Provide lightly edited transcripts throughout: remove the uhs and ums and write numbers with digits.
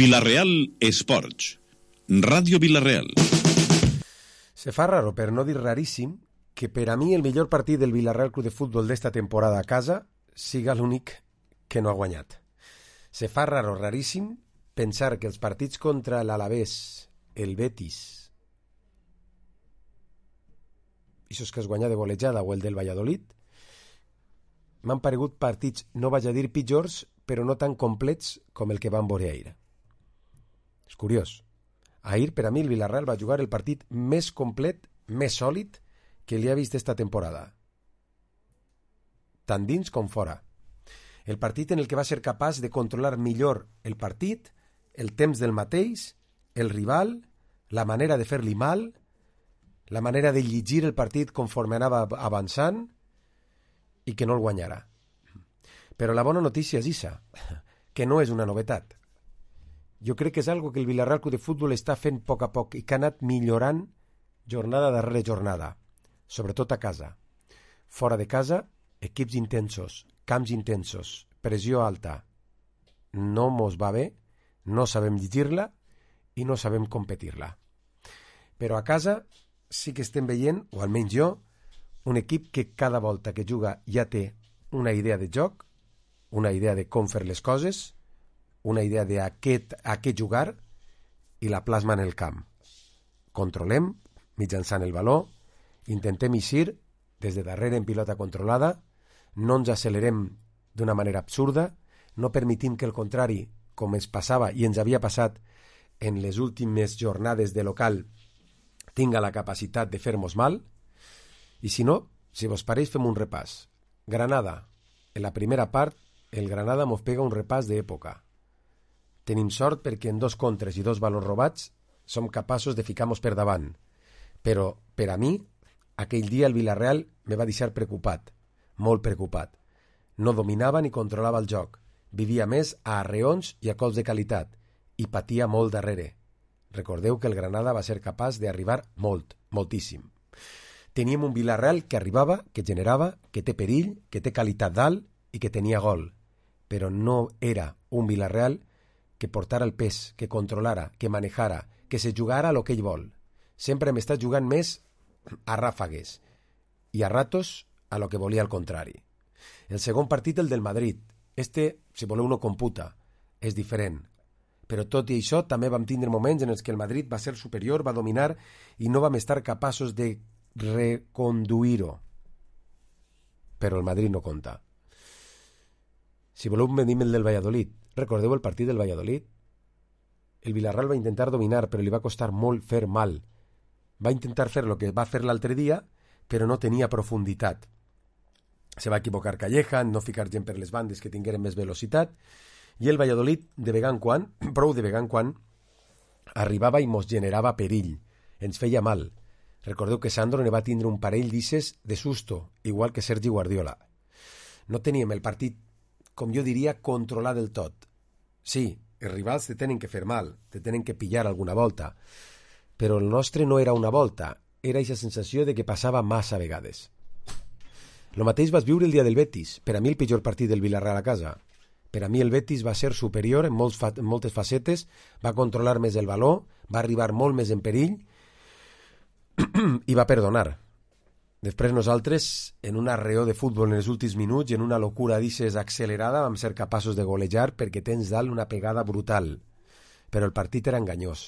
Vila-real Esports, Ràdio Vila-real. Se fa raro, per no dir raríssim, que per a mi el millor partit del Vila-real Club de Futbol d'esta temporada a casa siga l'únic que no ha guanyat. Se fa raro, raríssim, pensar que els partits contra l'Alavés, el Betis, ixos que es guanyà de golejada, o el del Valladolid, m'han paregut partits, no vaig a dir pitjors, però no tan complets com el que van veure ahir. És curiós. Ahir, per a mi, el Vila-real va jugar el partit més complet, més sòlid que li ha vist esta temporada. Tant dins com fora. El partit en el que va ser capaç de controlar millor el partit, el temps del mateix, el rival, la manera de fer-li mal, la manera de llegir el partit conforme anava avançant i que no el guanyara. Però la bona notícia és issa, que no és una novetat. Jo crec que és algo que el Vila-real Club de Futbol està fent a poc i que ha anat millorant jornada darrere jornada, sobretot a casa. Fora de casa, equips intensos, camps intensos, pressió alta. No mos va bé, no sabem llegir-la i no sabem competir-la. Però a casa sí que estem veient, o almenys jo, un equip que cada volta que juga ja té una idea de joc, una idea de com fer les coses, una idea de a què jugar i la plasma en el camp. Controlem mitjançant el valor, intentem eixir des de darrere en pilota controlada, no ens accelerem d'una manera absurda, no permetim que el contrari, com ens passava i ens havia passat en les últimes jornades de local, tinga la capacitat de fer-nos mal, i si no, si vos pareix, fem un repàs. Granada, en la primera part, el Granada mos pega un repàs d'època. Tenim sort perquè en 2 contres i 2 valors robats som capaços de ficar-nos per davant. Però, per a mi, aquell dia el Vila-real me va deixar preocupat, molt preocupat. No dominava ni controlava el joc. Vivia més a arreons i a cops de qualitat i patia molt darrere. Recordeu que el Granada va ser capaç d'arribar moltíssim. Teníem un Vila-real que arribava, que generava, que té perill, que té qualitat dalt i que tenia gol. Però no era un Vila-real que portara el pes, que controlara, que manejara, que se jugara a lo que ell vol. Sempre m'està jugant més a ràfagues i a ratos a lo que volia al contrari. El segon partit, el del Madrid. Si voleu, no computa. És diferent. Però tot i això, també vam tindre moments en els que el Madrid va ser superior, va dominar i no vam estar capaços de reconduir-ho. Però el Madrid no compta. Si voleu, venim el del Valladolid. Recordeu el partit del Valladolid? El Vila-real va intentar dominar, però li va costar molt fer mal. Va intentar fer el que va fer l'altre dia, però no tenia profunditat. Se va equivocar Calleja, no ficar gent per les bandes que tingueren més velocitat, i el Valladolid, de vegada en quan, prou de vegada en quan, arribava i mos generava perill. Ens feia mal. Recordeu que Sandro ne va tindre un parell d'isses de susto, igual que Sergi Guardiola. No teníem el partit, com jo diria, controlar del tot. Sí, els rivals te tenen que fer mal, te tenen que pillar alguna volta, però el nostre no era una volta, era aquesta sensació de que passava massa vegades. Lo mateix vas viure el dia del Betis, per a mi el pitjor partit del Vila-real a casa. Per a mi el Betis va ser superior en moltes facetes, va controlar més el valor, va arribar molt més en perill i va perdonar. Després nosaltres, en un arreó de futbol en els últims minuts i en una locura d'ixes accelerada, vam ser capaços de golejar perquè tens dalt una pegada brutal. Però el partit era enganyós.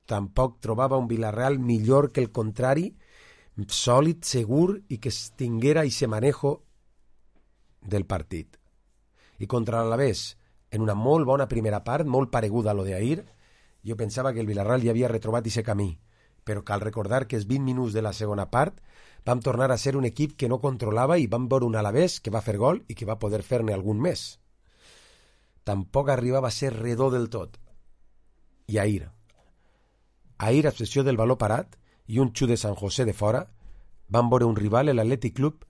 Tampoc trobava un Vila-real millor que el contrari, sòlid, segur i que tinguera ese manejo del partit. I contra l'Alavés, en una molt bona primera part, molt pareguda a lo d'ahir, jo pensava que el Vila-real ja havia retrobat ese camí. Però cal recordar que els 20 minuts de la segona part vam tornar a ser un equip que no controlava i vam veure un Alavés que va fer gol i que va poder fer-ne algun més. Tampoc arribava a ser redó del tot. I ahir, a excepció del valor parat i un xut de San José de fora, vam veure un rival, l'Atlètic Club,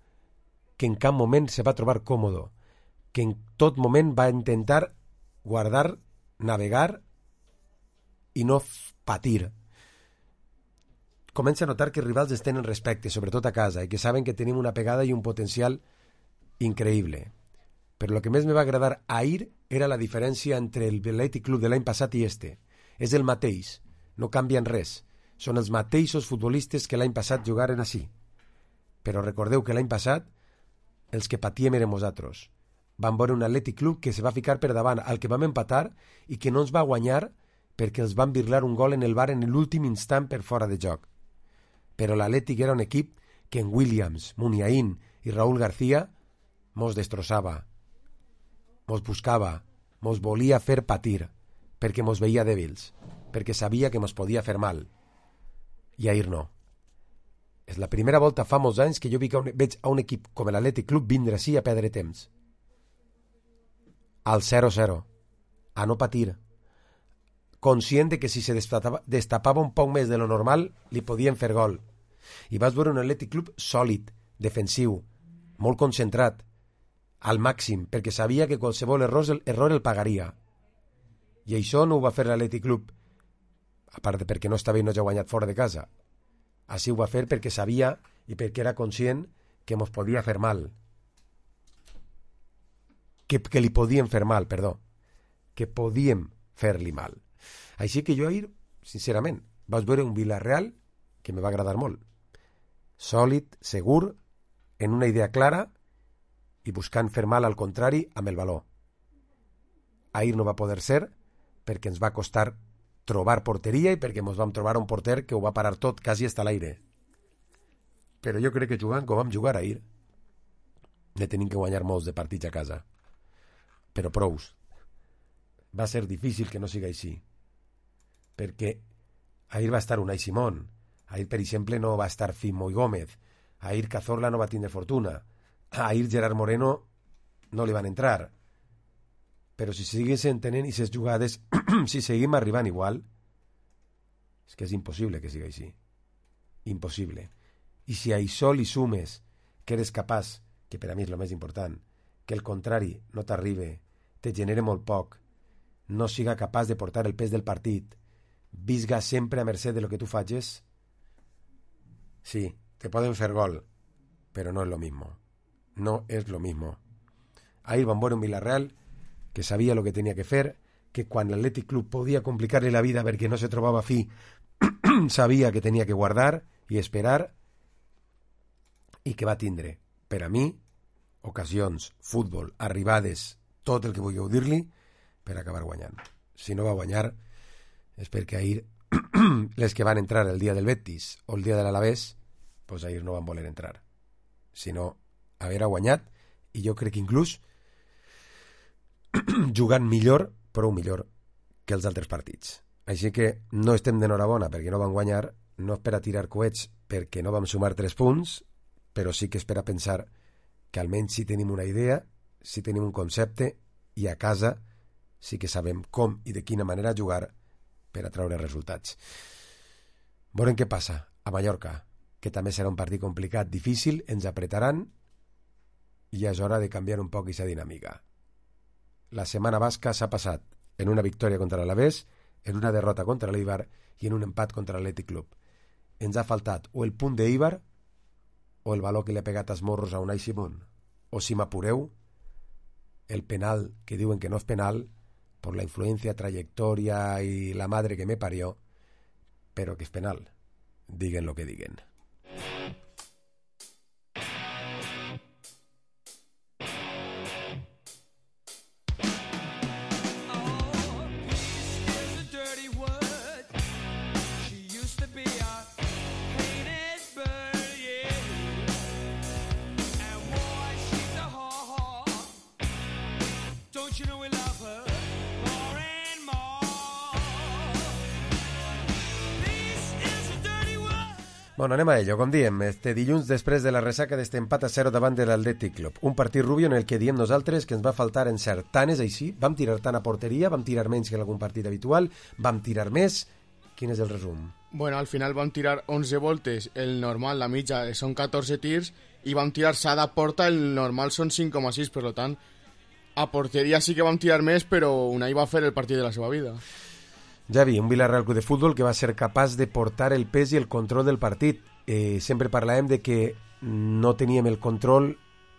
que en cap moment se va trobar còmodo, que en tot moment va intentar guardar, navegar i no patir. Comença a notar que els rivals es tenen respecte, sobretot a casa, i que saben que tenim una pegada i un potencial increïble. Però el que més me va agradar ahir era la diferència entre el Athletic Club de l'any passat i este. És el mateix, no canvien res. Són els mateixos futbolistes que l'any passat jugaren així. Però recordeu que l'any passat els que patíem érem nosaltres. Vam veure un Athletic Club que se va ficar per davant al que vam empatar i que no ens va guanyar perquè els van birlar un gol en el bar en l'últim instant per fora de joc. Però l'Atlètic era un equip que en Williams, Muniain i Raúl García mos destrossava, mos buscava, mos volia fer patir, perquè mos veia dèbils, perquè sabia que mos podia fer mal. I ahir no. És la primera volta fa molts anys que jo veig a un equip com l'Atlètic Club vindre així a perdre temps. Al 0-0. A no patir. Conscient de que si se destapava un poc més de lo normal, li podien fer gol. I vas veure un Atlètic Club sòlid, defensiu, molt concentrat, al màxim, perquè sabia que qualsevol error el pagaria. I això no ho va fer l'Atlètic Club, a part de perquè no estava i no ja guanyat fora de casa. Així ho va fer perquè sabia i perquè era conscient que mos podia fer mal. Que li podien fer mal, perdó. Que podíem fer-li mal. Així que jo ahir, sincerament, vaig veure un Villarreal que me va agradar molt. Sòlid, segur, en una idea clara i buscant fer mal al contrari amb el valor. Ahir no va poder ser perquè ens va costar trobar porteria i perquè ens vam trobar un porter que ho va parar tot quasi hasta l'aire. Però jo crec que jugant com vam jugar ahir ne tenim que guanyar molts de partits a casa. Però prous. Va ser difícil que no siga així. Perquè ahir va estar Unai Simón. Ahir, per exemple, no va estar Fimo i Gómez. Ahir Cazorla no va tindre fortuna. Ahir Gerard Moreno no li van entrar. Però si siguessin tenint aquestes jugades, si seguim arribant igual, és que és impossible que sigui així. Impossible. I si a això li sumes que eres capaç, que per a mi és el més important, que el contrari no t'arribe, te genere molt poc, no siga capaç de portar el pes del partit, visga sempre a mercè de lo que tu facis, sí, te poden fer gol, però no és lo mismo. No és lo mismo. Ahir van veure un Villarreal que sabia lo que tenia que fer, que quan l'Atlètic Club podia complicar-li la vida perquè no se trobava fi, sabia que tenia que guardar i esperar, i que va tindre, per a mi, ocasions, futbol, arribades, tot el que vulgueu dir-li, per acabar guanyant. Si no va guanyar, és perquè ahir les que van entrar el dia del Betis o el dia de l'Alavés, pues ahir no van voler entrar. Si no, haver guanyat, i jo crec que inclús jugant millor, prou millor que els altres partits. Així que no estem d'enhorabona perquè no van guanyar, no és per a tirar coets perquè no vam sumar 3 punts, però sí que és per a pensar que almenys si tenim una idea, si tenim un concepte, i a casa sí que sabem com i de quina manera jugar per a treure resultats. Veurem què passa a Mallorca, que també serà un partit complicat, difícil, ens apretaran i és hora de canviar un poc aquesta dinàmica. La setmana basca s'ha passat en una victòria contra l'Alavés, en una derrota contra l'Eibar i en un empat contra l'Atlètic Club. Ens ha faltat o el punt d'Eibar o el valor que li ha pegat als morros a Unai Simón, o si m'apureu, el penal que diuen que no és penal per la influència, trajectòria i la madre que me parió, però que és penal, diguen lo que diguen. Bueno, anem a ello, com diem, este dilluns després de la ressaca d'este empat a 0 davant de l'Atlètic Club. Un partit rubio en el que diem nosaltres que ens va faltar encertant, és així, vam tirar tant a porteria, vam tirar menys que en algun partit habitual, vam tirar més. Quin és el resum? Bueno, al final vam tirar 11 voltes, el normal, la mitja, són 14 tirs, i vam tirar s'ha de porta, el normal són 5,6, per tant, a porteria sí que vam tirar més, però Unai va fer el partit de la seva vida. Javi, un Villarreal Club de Futbol que va ser capaç de portar el pes i el control del partit. Sempre parlàvem de que no teníem el control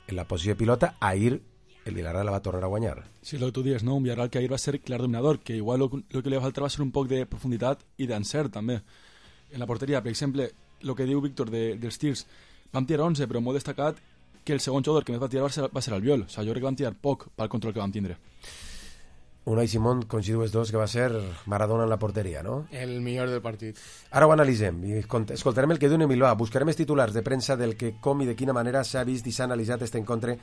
en la posició de pilota. Ahir el Villarreal la va tornar a guanyar. Sí, el que tu dius, no? Un Villarreal que ahir va ser clar dominador, que igual el que li va faltar va ser un poc de profunditat i d'encert, també. En la porteria, per exemple, el que diu Víctor dels tirs, vam tirar 11, però molt destacat que el segon jugador que més va tirar va ser Albiol. O sigui, jo crec que vam tirar poc pel control que vam tindre. Unai Simón, coincidiu els dos, que va ser Maradona en la porteria, no? El millor del partit. Ara ho analitzem i escoltarem el que diu Emilio. Buscarem els titulars de premsa del que, com i de quina manera s'ha vist i s'ha analitzat este encontre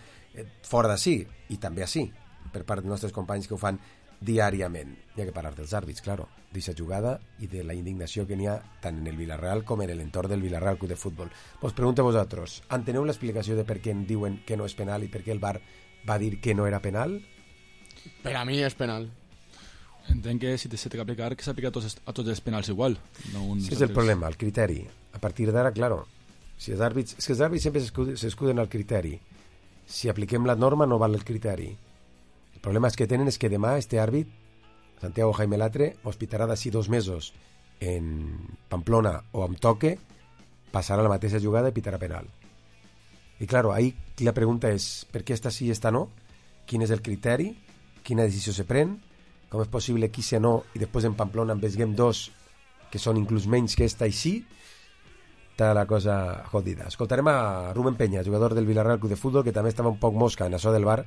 fora d'ací i també ací, per part dels nostres companys que ho fan diàriament. Hi ha que parlar dels àrbits, claro, d'aquesta jugada i de la indignació que n'hi ha tant en el Villarreal com en l'entorn del Villarreal Club de Futbol. Vos pregunto a vosaltres, enteneu l'explicació de per què en diuen que no és penal i per què el VAR va dir que no era penal? Per a mi és penal. Entenc que si se té que aplicar, que s'aplica a tots els penals igual. No sí, és el problema, el criteri. A partir d'ara, claro, si els àrbits... És que els àrbits sempre s'escuden al criteri. Si apliquem la norma no val el criteri. El problema que tenen és que demà este àrbit, Santiago Jaime Latre, hospitarà d'ací 2 mesos en Pamplona o amb Toque, passarà la mateixa jugada i pitarà penal. I claro, ahí la pregunta és per què esta sí i esta no? Quin és el criteri? Quina decisió se pren? Com és possible que se no i després en Pamplona en vesguem 2 que són inclús menys que esta i sí? Està la cosa jodida. Escoltarem a Rubén Peña, jugador del Villarreal Club de Futbol, que també estava un poc mosca en això del VAR,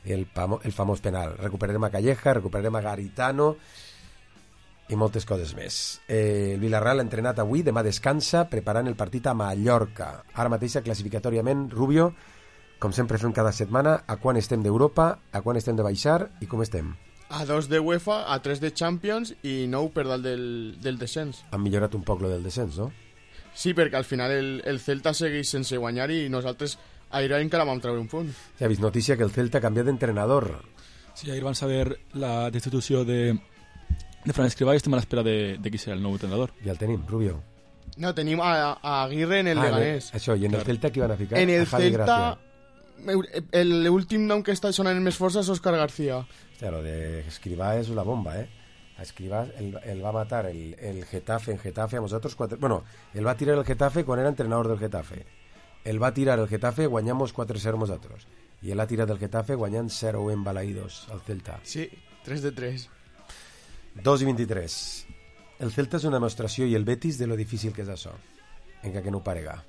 el famós penal. Recuperarem a Calleja, recuperarem a Garitano i moltes coses més. El Villarreal ha entrenat avui, demà descansa, preparant el partit a Mallorca. Ara mateixa, classificatòriament, Rubio, com sempre fem cada setmana, a quan estem d'Europa, a quan estem de baixar i com estem. A 2 de UEFA, a 3 de Champions i 9 per dalt del descens. Han millorat un poc lo del descens, no? Sí, perquè al final el Celta segueix sense guanyar i nosaltres ahir encara vam treure un punt. Ja he vist notícia que el Celta ha canviat d'entrenador. Sí, ahir van saber la destitució de Fran Escrivá i estem a l'espera de qui serà el nou entrenador. Ja el tenim, Rubio. No, tenim a Aguirre en el Leganés. Això, i en el Celta qui van a ficar? En el Celta, l'últim nom que està sonant més força és Óscar García. Hòstia, lo de Escrivá és una bomba, A Escrivá el va matar el Getafe en Getafe a nosotros 4... Bueno, el va tirar el Getafe quan era entrenador del Getafe. El va tirar el Getafe, guanyamos 4-0 nosotros. I el ha tirat del Getafe guanyant 0 en Balaídos al Celta. Sí, 3 de 3. 2 i 23. El Celta és una demostració i el Betis de lo difícil que és això. Encara que no ho parega.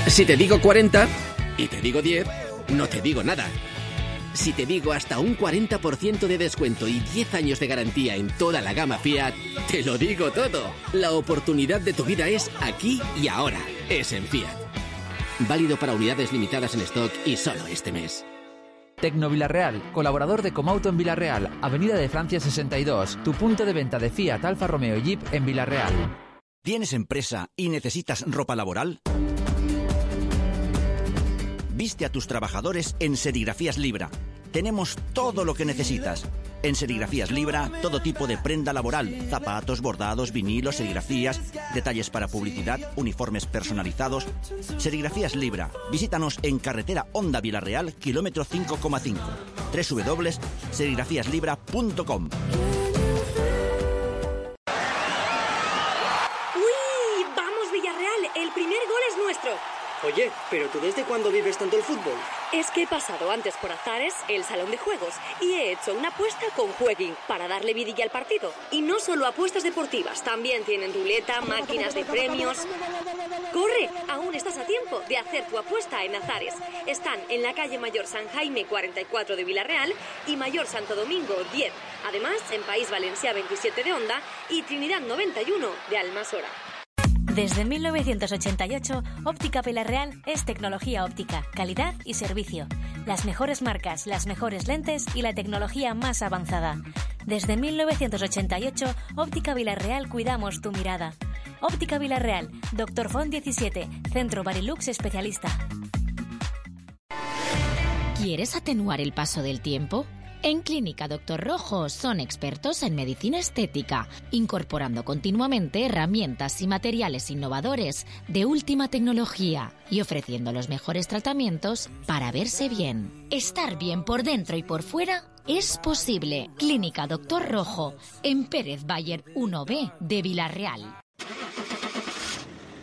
Si te digo 40 y te digo 10, no te digo nada. Si te digo hasta un 40% de descuento y 10 años de garantía en toda la gama Fiat, te lo digo todo. La oportunidad de tu vida es aquí y ahora. Es en Fiat. Válido para unidades limitadas en stock y solo este mes. Tecno Villarreal, colaborador de Comauto en Villarreal, Avenida de Francia 62, tu punto de venta de Fiat, Alfa Romeo y Jeep en Villarreal. ¿Tienes empresa y necesitas ropa laboral? Viste a tus trabajadores en Serigrafías Libra. Tenemos todo lo que necesitas. En Serigrafías Libra, todo tipo de prenda laboral, zapatos, bordados, vinilos, serigrafías, detalles para publicidad, uniformes personalizados. Serigrafías Libra. Visítanos en carretera Honda Villarreal, kilómetro 5,5. www.serigrafíaslibra.com. ¡Uy! ¡Vamos, Villarreal! El primer gol es nuestro. Oye, ¿pero tú desde cuándo vives tanto el fútbol? Es que he pasado antes por Azares, el salón de juegos, y he hecho una apuesta con Jueguin para darle vidilla al partido. Y no solo apuestas deportivas, también tienen ruleta, máquinas de premios. ¡Corre! Aún estás a tiempo de hacer tu apuesta en Azares. Están en la calle Mayor San Jaime 44 de Villarreal y Mayor Santo Domingo 10. Además, en País Valencià 27 de Onda y Trinidad 91 de Almasora. Desde 1988, Óptica Villarreal es tecnología óptica, calidad y servicio. Las mejores marcas, las mejores lentes y la tecnología más avanzada. Desde 1988, Óptica Villarreal cuidamos tu mirada. Óptica Villarreal, Dr. Font 17, Centro Barilux especialista. ¿Quieres atenuar el paso del tiempo? En Clínica Doctor Rojo son expertos en medicina estética, incorporando continuamente herramientas y materiales innovadores de última tecnología y ofreciendo los mejores tratamientos para verse bien. Estar bien por dentro y por fuera es posible. Clínica Doctor Rojo, en Pérez Bayer 1B de Villarreal.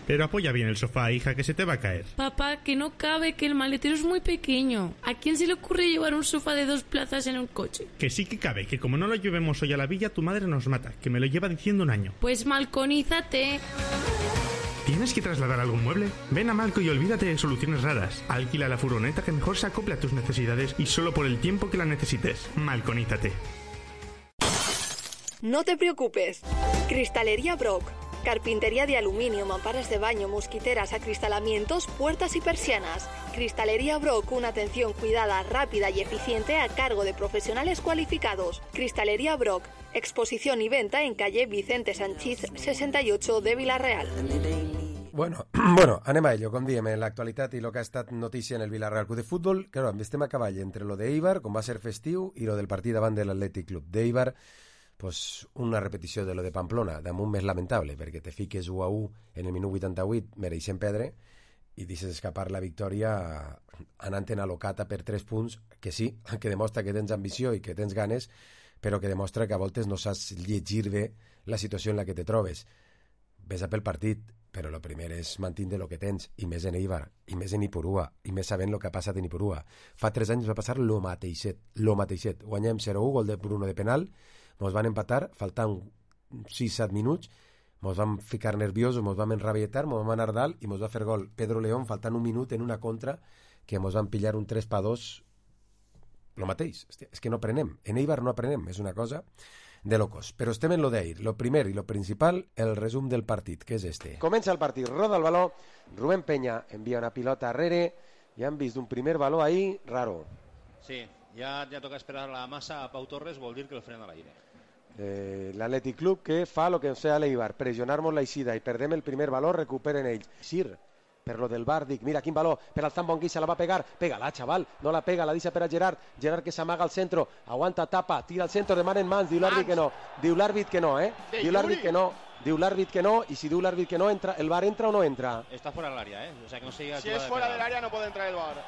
Pero apoya bien el sofá, hija, que se te va a caer. Papá, que no cabe, que el maletero es muy pequeño. ¿A quién se le ocurre llevar un sofá de 2 plazas en un coche? Que sí que cabe, que como no lo llevemos hoy a la villa, tu madre nos mata, que me lo lleva diciendo un año. Pues malconízate. ¿Tienes que trasladar algún mueble? Ven a Malco y olvídate de soluciones raras. Alquila la furgoneta que mejor se acople a tus necesidades y solo por el tiempo que la necesites. Malconízate. No te preocupes. Cristalería Brock. Carpintería de aluminio, mamparas de baño, mosquiteras, acristalamientos, puertas y persianas. Cristalería Brock, una atención cuidada, rápida y eficiente a cargo de profesionales cualificados. Cristalería Brock, exposición y venta en calle Vicente Sanchís 68 de Villarreal. Bueno, anem a ello, com diem, en l'actualitat i el que ha estat notícia en el Villarreal Club de Futbol. Claro, estem a cavall entre lo d'Eibar, com va ser festiu, i lo del partit davant de l'Atlètic Club d'Eibar. Pues una repetició de lo de Pamplona, damunt més lamentable, perquè te fiques 1-1 en el minut 88, mereixen perdre, i deixes escapar la victòria anant-te'n a l'Ocata per 3 punts, que sí, que demostra que tens ambició i que tens ganes, però que demostra que a voltes no saps llegir bé la situació en la que te trobes. Ves a pel partit, però el primer és mantindre el que tens, i més en Eibar, i més en Ipurua, i més sabent el que ha passat en Ipurua. Fa 3 anys va passar lo mateixet. Guanyem 0-1, gol de Bruno de penal, mos van empatar, faltant 6-7 minuts, mos vam ficar nerviosos, mos vam enrabietar, mos vam anar dalt i mos va fer gol Pedro León faltant un minut en una contra que mos van pillar un 3-2. Lo mateix, hòstia, és que no aprenem, en Eibar no aprenem, és una cosa de locos. Però estem en lo d'ahir, lo primer i lo principal, el resum del partit, que és este. Comença el partit, roda el baló, Rubén Peña envia una pilota arrere, ja han vist un primer baló ahí, raro. Sí, ya toca esperar la masa a Pau Torres, vol dir que el frena a l'aire. L'Atlètic Club que fa el que ens feia l'Eibar, pressionar-nos l'eixida i perdem el primer valor, recuperen ells. Sir, per lo del bar, dic, mira quin valor, per al Zambonguissa la va pegar, pega-la, xaval, no la pega, la deixa per a Gerard que s'amaga al centre, aguanta, tapa, tira al centre, demanen mans, diu l'àrbit que no, diu l'àrbit que no, i si diu l'àrbit que no, entra, el bar entra o no entra? Està fora de l'àrea, o sea que no sigui... Si és fora de l'àrea no pot entrar el bar.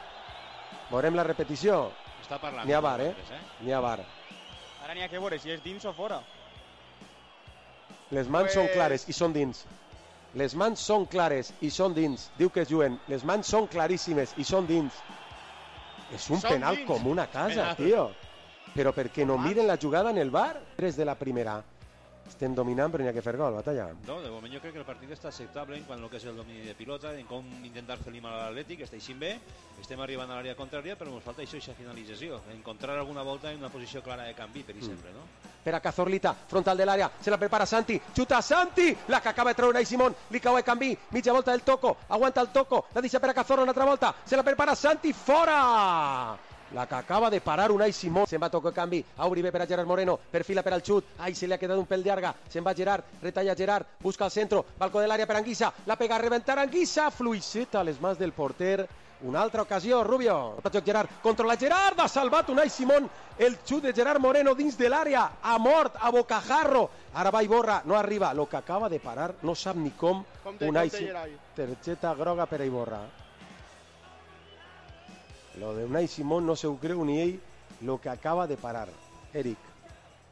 Veurem la repetició. Està parlant. N'hi ha bar, N'hi ha bar. Ara n'hi ha que veure si és dins o fora. Les mans són clares i són dins. Les mans són clares i són dins. Diu que es juguen. Les mans són claríssimes i són dins. És un penal com una casa, tio. Però per què no miren la jugada en el bar? 3 de la primera. Estem dominant però n'hi ha que fer gol, Batalla. No, de moment jo crec que el partit està acceptable en quant al que és el domini de pilota, en com intentar fer mal a l'Atlètic, està així bé, estem arribant a l'àrea contrària, però ens falta això, aquesta finalització, encontrar alguna volta en una posició clara de canvi, per exemple, no? Per a Cazorlita, frontal de l'àrea, se la prepara Santi, xuta Santi, la que acaba de treure Unai Simón, li cau el canvi, mitja volta del Toco, aguanta el Toco, la deixa per a Cazorla una altra volta, se la prepara Santi, fora! La que acaba de parar Unai Simón. Se'n va a tocar canvi, a Uribe per a Gerard Moreno, perfila per al xut, ai, se li ha quedat un pèl llarga, se'n va Gerard, retalla Gerard, busca el centro, balcó de l'àrea per Anguissa, la pega a reventar Anguissa, fluixeta a les mans del porter, una altra ocasió, Rubio, Gerard, controla Gerard, ha salvat Unai Simón, el xut de Gerard Moreno dins de l'àrea, ha mort, a bocajarro, ara va Iborra, no arriba, lo que acaba de parar, no sap ni com Unai Simón, targeta groga per a Iborra. Lo de Unai Simón no se ho creu ni ell lo que acaba de parar. Eric.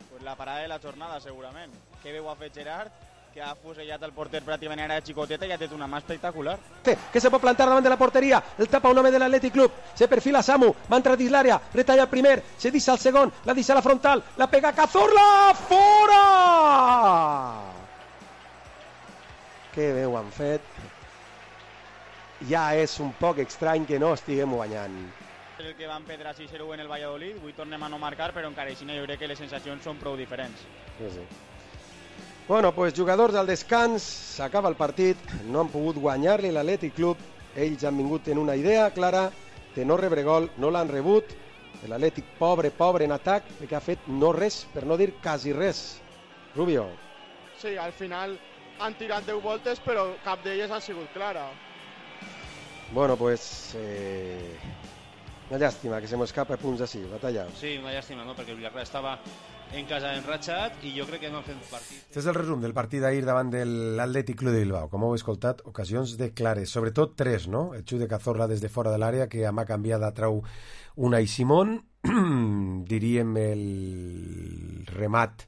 Pues la parada de la jornada, segurament. Que bé ho ha fet Gerard, que ha fusellat el porter pràcticament era xicoteta i ha tret una mà espectacular. Que se pot plantar davant de la porteria, el tapa un home de l'Atlètic Club, se perfila Samu, va entrar dins l'àrea, retalla el primer, se deixa el segon, la deixa a la frontal, la pega Cazorla, fora! Que bé ho han fet. Ja és un poc estrany que no estiguem guanyant. El que van perdre 6-0 en el Valladolid, avui tornem a no marcar, però encara així jo crec que les sensacions són prou diferents. Sí. Bueno, pues jugadors al descans, s'acaba el partit, no han pogut guanyar-li l'Atlètic Club, ells han vingut en una idea clara de no rebre gol, no l'han rebut, l'Atlètic pobre en atac, que ha fet no res, per no dir quasi res. Rubio. Sí, al final han tirat 10 voltes, però cap d'elles ha sigut clara. Bueno, pues Una llàstima que se m'escapa punts així, batalla. Sí, una llàstima, no? Perquè el Villarreal estava en casa enratxat i jo crec que no han fet partit. Aquest és el resum del partit d'ahir davant de l'Atlètic Club de Bilbao. Com heu escoltat, ocasions de clares, sobretot 3, no? El xut de Cazorla des de fora de l'àrea, que a mà canviada trau Unai Simón, diríem el remat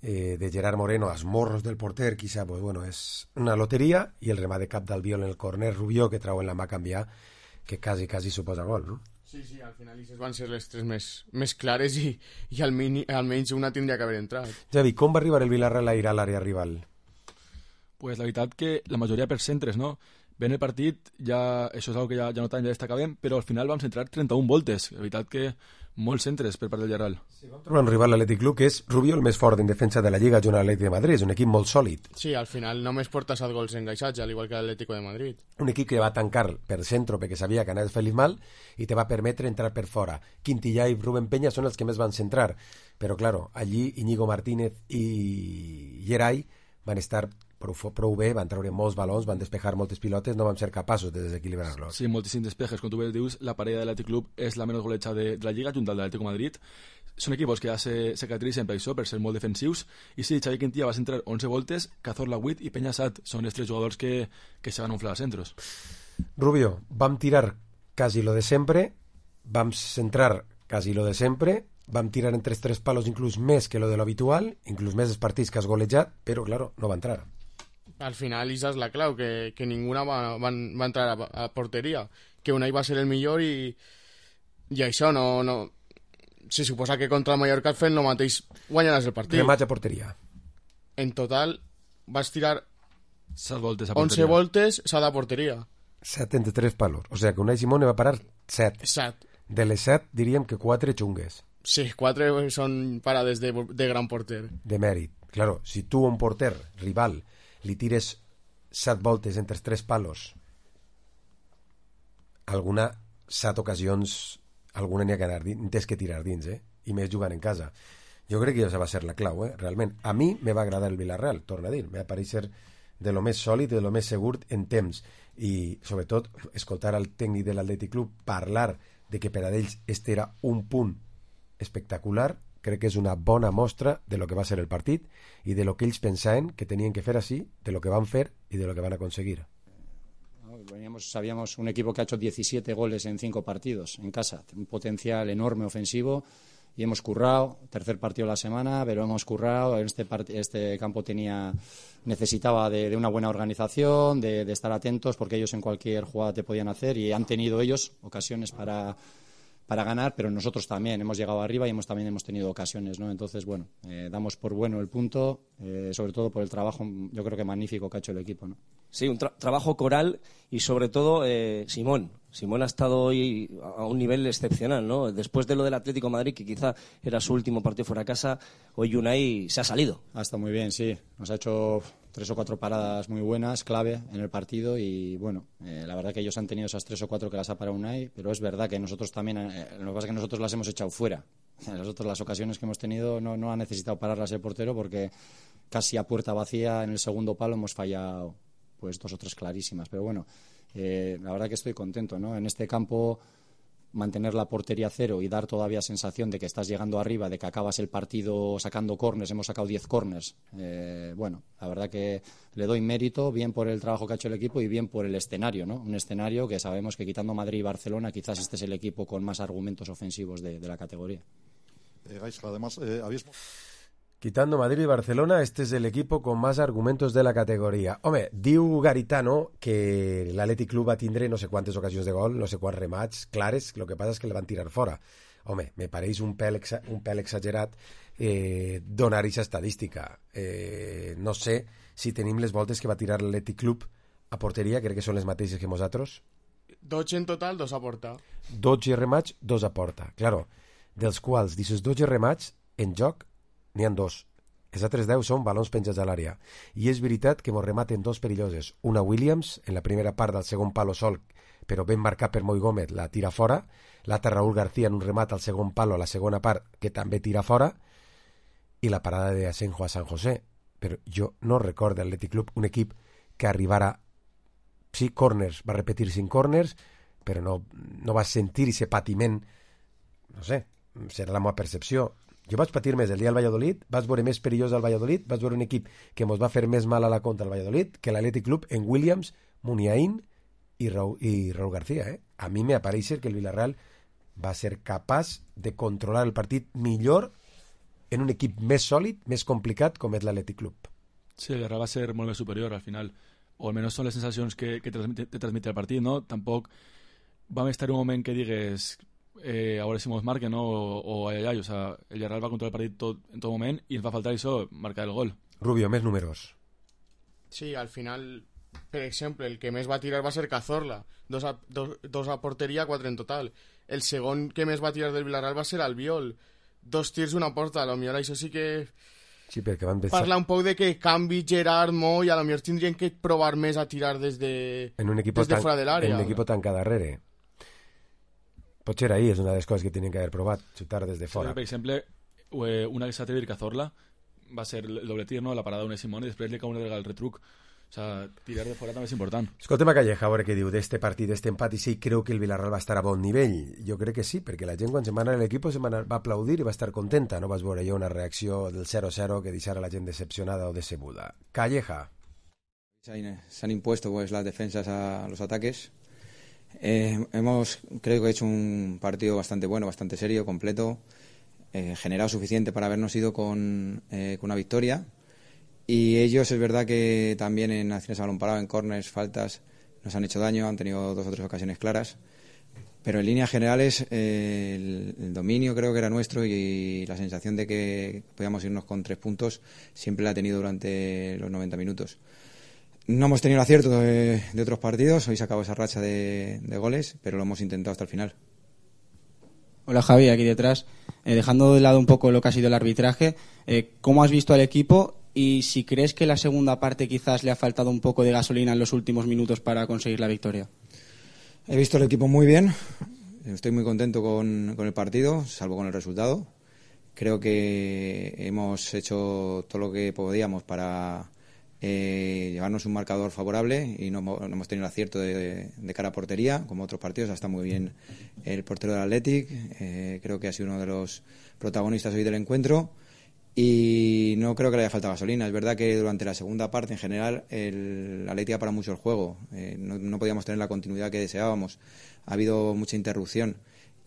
de Gerard Moreno als morros del porter, quizá, pues bueno, és una loteria, i el remat de cap d'Albiol en el corner, Rubió, que trau en la mà canviar, que quasi suposa gol, no? Sí, al final aquestes van ser les 3 més clares i almenys una tindria que haver entrat. Javi, com va arribar el Villarreal a ir a l'àrea rival? Pues la veritat que la majoria per centres, no? Ben el partit, ja, això és una que ja notem, ja destacàvem, però al final vam centrar 31 voltes. La veritat que molts centres per part del Villarreal. Sí, vam trobar un rival a l'Atlètic Club que és Rubió, el més fort en defensa de la Lliga junt a l'Atlètic de Madrid. És un equip molt sòlid. Sí, al final només porta 7 gols engaixats, al igual que l'Atlético de Madrid. Un equip que va tancar per centre perquè sabia que anaves fent mal i te va permetre entrar per fora. Quintillà i Rubén Peña són els que més van centrar. Però, claro, allí Íñigo Martínez i Geray van estar prou bé, van treure molts balons, van despejar moltes pilotes, no vam ser capaços de desequilibrar-los. Sí, moltíssims despejes. Com tu bé dius, la parella de l'Atlètic Club és la menys golejada de la Lliga, junt al de l'Atlético de Madrid. Són equipos que ja se caracteritzen per això, per ser molt defensius. I sí, Xavi Quintilla va centrar 11 voltes, Cazorla 8 i Peña 7. Són els 3 jugadors que se van inflar als centros. Rubio, vam tirar quasi lo de sempre, vam centrar quasi lo de sempre, vam tirar entre els 3 palos inclús més que lo de l'habitual, inclús més els partits que has golejat, però, claro, no va entrar. Al final, esa és la clau, que ninguna va entrar a porteria, que Unai va ser el millor i això no... Se suposa que contra el Mallorca fent el mateix guanyaràs el partit. Remats a porteria. En total vas tirar 7 voltes a porteria. 11 voltes, s'ha de porteria. 7 entre 3 palos. O sea que Unai Simón va parar 7. 7. De les 7 diríem que 4 xungues. Sí, 4 són parades de gran porter. De mèrit. Claro, si tu a un porter rival li tires 7 voltes entre 3 palos, alguna 7 ocasions, alguna n'hi ha que anar dins, que tirar dins, i més jugant en casa. Jo crec que això va ser la clau, realment. A mi me va agradar el Villarreal, torna a dir, me va pareixer de lo més sòlid, de lo més segur en temps, i sobretot escoltar al tècnic de l'Atlètic Club parlar de que per a ells este era un punt espectacular. Crec que és una bona mostra de lo que va ser el partit i de lo que ells pensaven que tenien que fer així, de lo que van fer i de lo que van a conseguir. Sabíamos un equipo que ha hecho 17 goles en 5 partidos en casa, un potencial enorme ofensivo, y hemos currado, tercer partido de la semana, pero hemos currado. Este campo necesitaba de una buena organización, de estar atentos, porque ellos en cualquier jugada te podían hacer, y han tenido ellos ocasiones para ganar, pero nosotros también hemos llegado arriba y también hemos tenido ocasiones, ¿no? Entonces, bueno, damos por bueno el punto, sobre todo por el trabajo, yo creo que magnífico que ha hecho el equipo, ¿no? Sí, un trabajo coral y sobre todo Simón ha estado hoy a un nivel excepcional, ¿no? Después de lo del Atlético de Madrid, que quizá era su último partido fuera de casa, hoy Unai se ha salido. Ha estado muy bien, sí. Nos ha hecho 3 o 4 paradas muy buenas, clave en el partido, y bueno, la verdad que ellos han tenido esas 3 o 4 que las ha parado Unai, pero es verdad que nosotros también, lo que pasa es que nosotros las hemos echado fuera. Nosotros las ocasiones que hemos tenido no ha necesitado pararlas el portero, porque casi a puerta vacía en el segundo palo hemos fallado pues 2 o 3 clarísimas, pero bueno, la verdad que estoy contento, ¿no? En este campo mantener la portería cero y dar todavía sensación de que estás llegando arriba, de que acabas el partido sacando córners, hemos sacado 10 córners, bueno, la verdad que le doy mérito, bien por el trabajo que ha hecho el equipo y bien por el escenario, ¿no? Un escenario que sabemos que quitando Madrid y Barcelona quizás este es el equipo con más argumentos ofensivos de la categoría. Además, quitando Madrid y Barcelona, este es el equipo con más argumentos de la categoria. Home, diu Garitano que l'Atlètic Club va tindre no sé quantes ocasions de gol, no sé quants remats clares, el que passa és que el van tirar fora. Home, me pareix un pèl exagerat donar aquesta estadística. No sé si tenim les voltes que va tirar l'Atlètic Club a porteria, crec que són les mateixes que nosaltres. 12 en total, 2 a porta. 12 remats, 2 a porta. Claro, dels quals, d'aquests 12 remats, en joc n'hi ha 2. Els altres 10 són balons penjats a l'àrea. I és veritat que mos rematen 2 perilloses. Una Williams, en la primera part del segon palo sol, però ben marcat per Moi Gómez, la tira fora. L'altra Raúl García en un remat al segon palo a la segona part, que també tira fora. I la parada de Asenjo a San José. Però jo no recordo l'Atlètic Club un equip que arribara 5 corners, va repetir 5 corners, però no vas sentir ese patiment, no sé, serà la meva percepció. Jo vaig patir més el dia del Valladolid, vaig veure més perillós al Valladolid, vaig veure un equip que mos va fer més mal a la contra al Valladolid que l'Athletic Club en Williams, Muniain i Raúl García. A mi me apareix que el Villarreal va ser capaç de controlar el partit millor en un equip més sòlid, més complicat com és l'Athletic Club. Sí, el Villarreal va ser molt més superior al final, o almenys són les sensacions que te transmite el partit, no? Tampoc vam estar un moment que digues a veure si mos marquen, no? O ai, o sea, el Villarreal va controlar el partit en tot moment i ens va faltar això, marcar el gol. Rubio, més números. Sí, al final, per exemple, el que més va tirar va ser Cazorla, dos a porteria, 4 en total. El segon que més va tirar del Villarreal va ser Albiol, 2 tirs una porta. A lo millor això sí que sí, perquè van pensar... parla un poc de que canvi Gerard, Mo, i a lo millor tindrien que provar més a tirar des de fora de l'àrea. En un equip tancat darrere. Potser ahí és una de les coses que tenien que haver provat, xutar des de fora. Sí, per exemple, una que s'ha de dir Cazorla va ser el doble tir, no? La parada d'una Simón i després li cau una vegada el retruc. O sea, tirar de fora també és important. Escolta'm a Calleja, a veure què diu d'este partit, d'este empat, i sí, creu que el Villarreal va estar a bon nivell. Jo crec que sí, perquè la gent quan se'n va anar a l'equip va aplaudir i va estar contenta. No vas veure jo una reacció del 0-0 que deixara la gent decepcionada o decebuda. Calleja. Se han impuesto pues las defensas a los ataques. Creo que he hecho un partido bastante bueno, bastante serio, completo, generado suficiente para habernos ido con una victoria. Y ellos, es verdad que también en acciones a balón parado, en corners, faltas, nos han hecho daño, han tenido 2 o 3 ocasiones claras. Pero en líneas generales, el dominio creo que era nuestro y la sensación de que podíamos irnos con 3 puntos siempre la ha tenido durante los 90 minutos. No hemos tenido el acierto de otros partidos, hoy se acabó esa racha de goles, pero lo hemos intentado hasta el final. Hola Javi, aquí detrás. Dejando de lado un poco lo que ha sido el arbitraje, ¿cómo has visto al equipo? Y si crees que la segunda parte quizás le ha faltado un poco de gasolina en los últimos minutos para conseguir la victoria. He visto el equipo muy bien, estoy muy contento con el partido, salvo con el resultado. Creo que hemos hecho todo lo que podíamos para llevarnos un marcador favorable y no hemos tenido el acierto de cara a portería, como otros partidos. Está muy bien el portero del Athletic, creo que ha sido uno de los protagonistas hoy del encuentro. Y no creo que le haya faltado gasolina. Es verdad que durante la segunda parte, en general, el Athletic ha parado mucho el juego. No podíamos tener la continuidad que deseábamos. Ha habido mucha interrupción.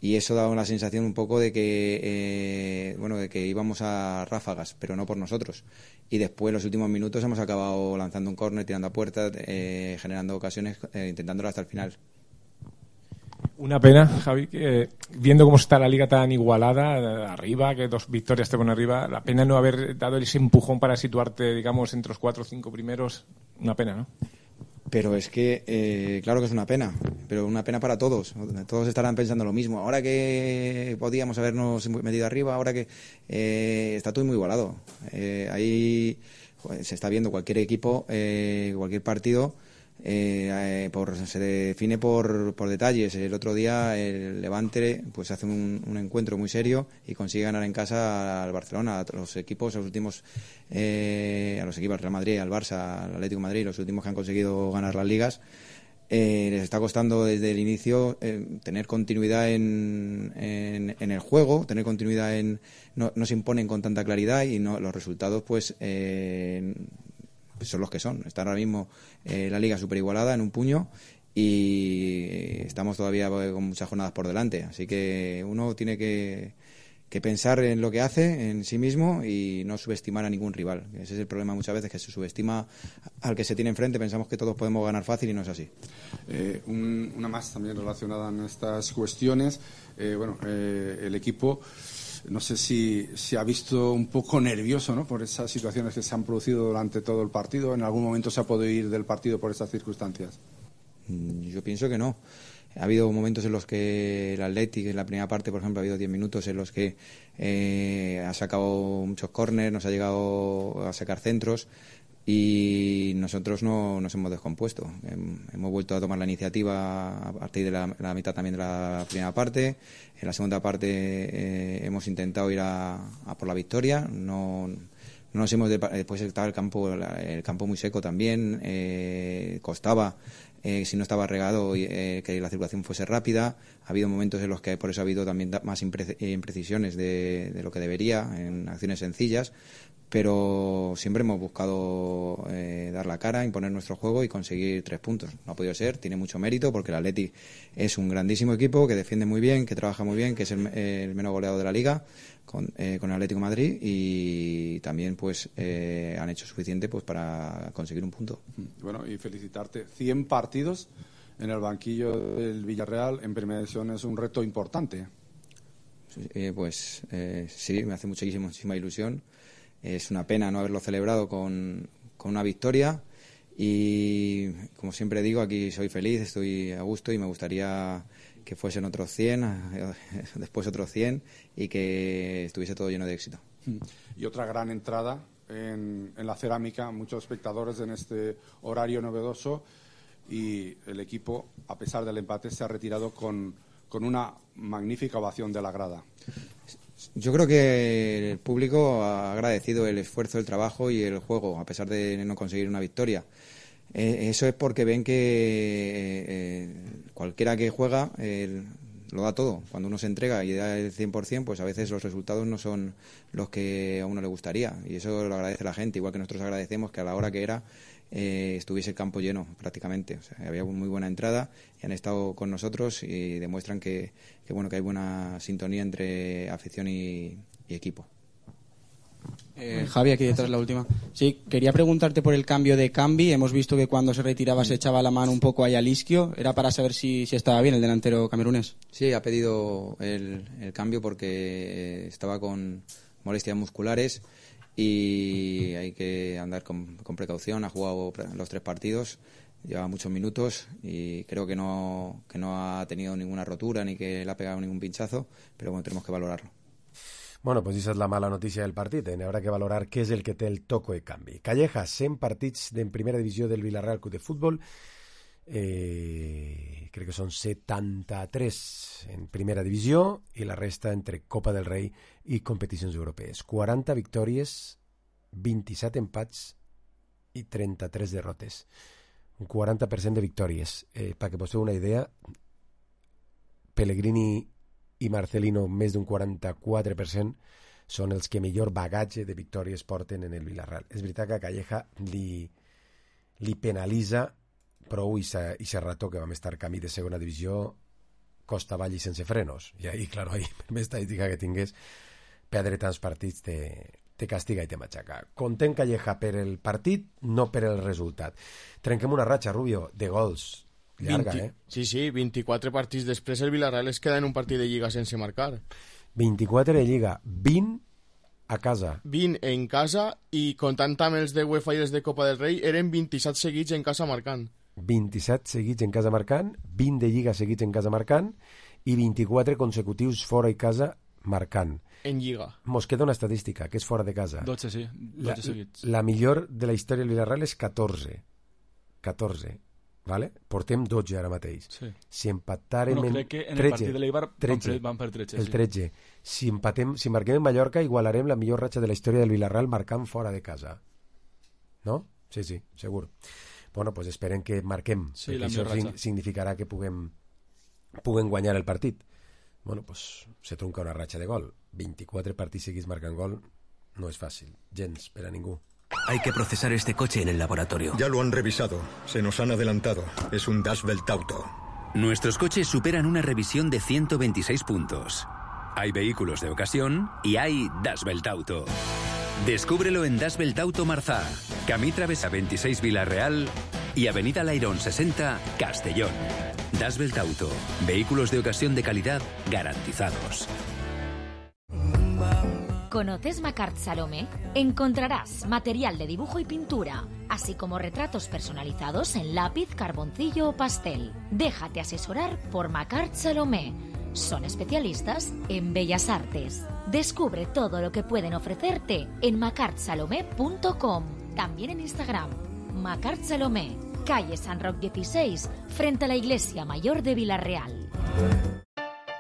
Y eso da una sensación un poco de que de que íbamos a ráfagas, pero no por nosotros. Y después, en los últimos minutos, hemos acabado lanzando un córner, tirando a puerta, generando ocasiones, intentándolo hasta el final. Una pena, Javi, que viendo cómo está la liga tan igualada, arriba, que 2 victorias te ponen arriba, la pena no haber dado ese empujón para situarte, digamos, entre los 4 o 5 primeros, una pena, ¿no? Pero es que, claro que es una pena, pero una pena para todos. Todos estarán pensando lo mismo. Ahora que podíamos habernos metido arriba, ahora que está todo muy igualado. Ahí se está viendo cualquier equipo, cualquier partido. Se define por detalles. El otro día el Levante pues hace un encuentro muy serio y consigue ganar en casa al Barcelona, a los equipos, a los últimos, a los equipos, al Real Madrid, al Barça, al Atlético de Madrid, los últimos que han conseguido ganar las ligas. Les está costando desde el inicio tener continuidad en el juego, tener continuidad no se imponen con tanta claridad y los resultados pues son los que son. Está ahora mismo la liga súper igualada en un puño y estamos todavía con muchas jornadas por delante, así que uno tiene que pensar en lo que hace, en sí mismo, y no subestimar a ningún rival. Ese es el problema muchas veces, que se subestima al que se tiene enfrente, pensamos que todos podemos ganar fácil y no es así. Una más también relacionada en estas cuestiones, el equipo, no sé si se ha visto un poco nervioso, ¿no?, por esas situaciones que se han producido durante todo el partido. ¿En algún momento se ha podido ir del partido por estas circunstancias? Yo pienso que no. Ha habido momentos en los que el Athletic, en la primera parte, por ejemplo, ha habido 10 minutos en los que ha sacado muchos córneres, nos ha llegado a sacar centros y nosotros no nos hemos descompuesto. Hemos vuelto a tomar la iniciativa a partir de la mitad también de la primera parte. En la segunda parte hemos intentado ir a por la victoria. No nos hemos después estaba el campo muy seco también, costaba si no estaba regado, que la circulación fuese rápida. Ha habido momentos en los que por eso ha habido también más imprecisiones de lo que debería, en acciones sencillas, pero siempre hemos buscado dar la cara, imponer nuestro juego y conseguir 3 puntos. No ha podido ser, tiene mucho mérito, porque el Atleti es un grandísimo equipo que defiende muy bien, que trabaja muy bien, que es el menos goleado de la Liga con el Atlético de Madrid, y también pues han hecho suficiente pues para conseguir un punto. Bueno, y felicitarte. 100 partidos en el banquillo del Villarreal en primera división es un reto importante. Sí, me hace muchísima ilusión. Es una pena no haberlo celebrado con una victoria, y como siempre digo, aquí soy feliz, estoy a gusto, y me gustaría que fuesen otros 100, después otros 100, y que estuviese todo lleno de éxito. Y otra gran entrada en la cerámica, muchos espectadores en este horario novedoso, y el equipo, a pesar del empate, se ha retirado con una magnífica ovación de la grada. Yo creo que el público ha agradecido el esfuerzo, el trabajo y el juego, a pesar de no conseguir una victoria. Eso es porque ven que cualquiera que juega lo da todo. Cuando uno se entrega y da el 100%, pues a veces los resultados no son los que a uno le gustaría. Y eso lo agradece la gente, igual que nosotros agradecemos que a la hora que era estuviese el campo lleno prácticamente. O sea, había muy buena entrada y han estado con nosotros y demuestran que hay buena sintonía entre afición y equipo. Javi, aquí detrás la última. Sí, quería preguntarte por el cambio de Cambi. Hemos visto que cuando se retiraba se echaba la mano un poco ahí al isquio. Era para saber si estaba bien el delantero camerunés. Sí, ha pedido el cambio porque estaba con molestias musculares y hay que andar con precaución. Ha jugado los 3 partidos, lleva muchos minutos y creo que no ha tenido ninguna rotura ni que le ha pegado ningún pinchazo, pero bueno, tenemos que valorarlo. Bueno, pues esa és la mala notícia del partit. Haurà que valorar què és el que té el toco de canvi. Calleja, 100 partits en primera divisió del Villarreal Club de Futbol. Crec que són 73 en primera divisió i la resta entre Copa del Rei i competicions europees. 40 victòries, 27 empats i 33 derrotes. Un 40% de victòries. Perquè vos feu una idea, Pellegrini i Marcelino, més d'un 44%, són els que millor bagatge de victòries porten en el Villarreal. És veritat que a Calleja li penalitza prou i Serrato, que vam estar camí de segona divisió, costa avall i sense frenos. I ahí, claro, per més estadística que tingués, perdre tants partits te castiga i te matxaca. Content Calleja per el partit, no per el resultat. Trenquem una ratxa, Rubio, de gols. Llarga, 24 partits després el Villarreal es queda en un partit de Lliga sense marcar. 24 de Lliga, 20 a casa. 20 en casa i comptant amb els de UEFA i els de Copa del Rei eren 27 seguits en casa marcant. 27 seguits en casa marcant, 20 de Lliga seguits en casa marcant i 24 consecutius fora i casa marcant. En Lliga. Mos queda una estadística, que és fora de casa. 12, sí. 12 seguits. La millor de la història del Villarreal és 14. 14. Vale? Portem 12 ara mateix. Sí. Si empatarem crec que en el partit de l'Eibar van per 13. El 13. Si marquem en Mallorca, igualarem la millor ratxa de la història del Villarreal marcant fora de casa. No? Sí, segur. Bueno, pues esperem que marquem, perquè això significarà que puguem guanyar el partit. Bueno, pues se trunca una ratxa de gol. 24 partits seguits marcant gol no és fàcil, gens, per a ningú. Hay que procesar este coche en el laboratorio. Ya lo han revisado. Se nos han adelantado. Es un Das Welt Auto. Nuestros coches superan una revisión de 126 puntos. Hay vehículos de ocasión y hay Das Welt Auto. Descúbrelo en Das Welt Auto Marzá, Camí Travesa 26 Villarreal y Avenida Lairón 60 Castellón. Das Welt Auto. Vehículos de ocasión de calidad garantizados. ¿Conoces Macart Salomé? Encontrarás material de dibujo y pintura, así como retratos personalizados en lápiz, carboncillo o pastel. Déjate asesorar por Macart Salomé. Son especialistas en bellas artes. Descubre todo lo que pueden ofrecerte en macartsalomé.com. También en Instagram. Macart Salomé, calle San Roc 16, frente a la Iglesia Mayor de Villarreal.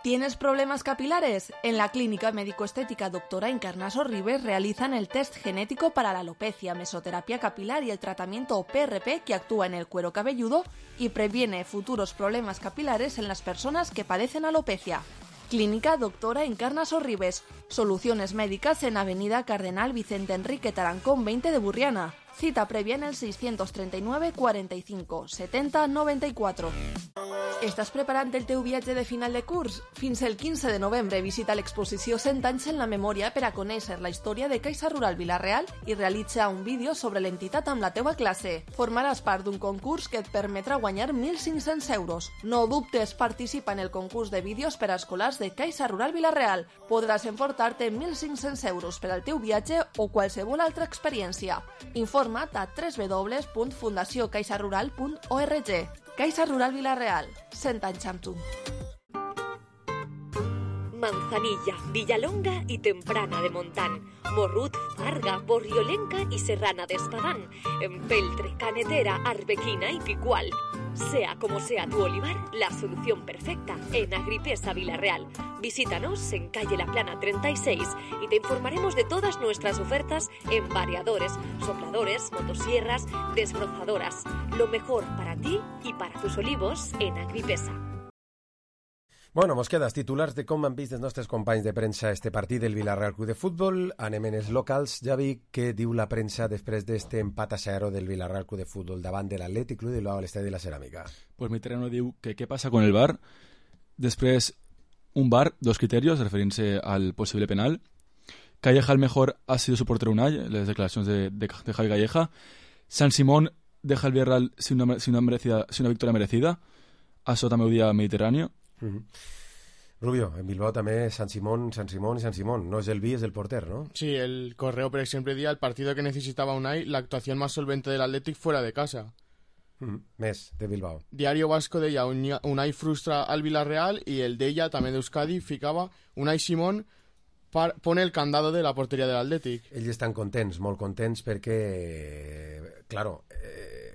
¿Tienes problemas capilares? En la Clínica Médico-Estética Doctora Encarna Sorribes realizan el test genético para la alopecia, mesoterapia capilar y el tratamiento PRP que actúa en el cuero cabelludo y previene futuros problemas capilares en las personas que padecen alopecia. Clínica Doctora Encarna Sorribes. Soluciones médicas en Avenida Cardenal Vicente Enrique Tarancón 20 de Burriana. Cita previa en el 639 45 70 94. Estàs preparant el teu viatge de final de curs? Fins el 15 de novembre visita l'exposició 100 anys en la memòria per a conèixer la història de Caixa Rural Vila-real i realitza un vídeo sobre l'entitat amb la teua classe. Formaràs part d'un concurs que et permetrà guanyar 1.500 euros. No dubtes, participa en el concurs de vídeos per a escolars de Caixa Rural Vila-real. Podràs emportar-te 1.500 euros per al teu viatge o qualsevol altra experiència. Informa't a www.fundaciocaixarural.org. Caixa Rural Vila-real, 100 anys amb tu. Manzanilla, Villalonga y Temprana de Montán, Morrut, Farga, Borriolenca y Serrana de Espadán, Empeltre, Canetera, Arbequina y Picual. Sea como sea tu olivar, la solución perfecta en Agripesa Vila-real. Visítanos en calle La Plana 36 y te informaremos de todas nuestras ofertas en variadores, sopladores, motosierras, desbrozadoras. Lo mejor para ti y para tus olivos en Agripesa. Bueno, mos queda els titulars de com han vist els nostres companys de premsa este partit del Villarreal Club de Futbol. Anem en els locals. Javi, què diu la premsa després d'este empat a 0 del Villarreal Club de Futbol davant de l'Atlètic Club de Bilbao a l'Estadi de la Ceràmica? Pues mi terreno diu que què passa con el VAR. Després, un VAR, dos criterios, referint-se al possible penal. Calleja el mejor ha sido su portero Unai, les declaracions de Javi Calleja. San Simón deja el Villarreal sin una victòria merecida. Això també ho dia Mediterráneo. Rubio, en Bilbao també San Simón. No es el Vi, es el porter, ¿no? Sí, el Correo, por ejemplo, decía el partido que necesitaba Unai, la actuación más solvente del Athletic fuera de casa. Més de Bilbao. Diario Vasco deia Unai frustra al Villarreal y el d'ella, també d'Euskadi, ficava Unai Simón pone el candado de la porteria de l'Atlètic. Ells estan contents, molt contents, perquè, claro,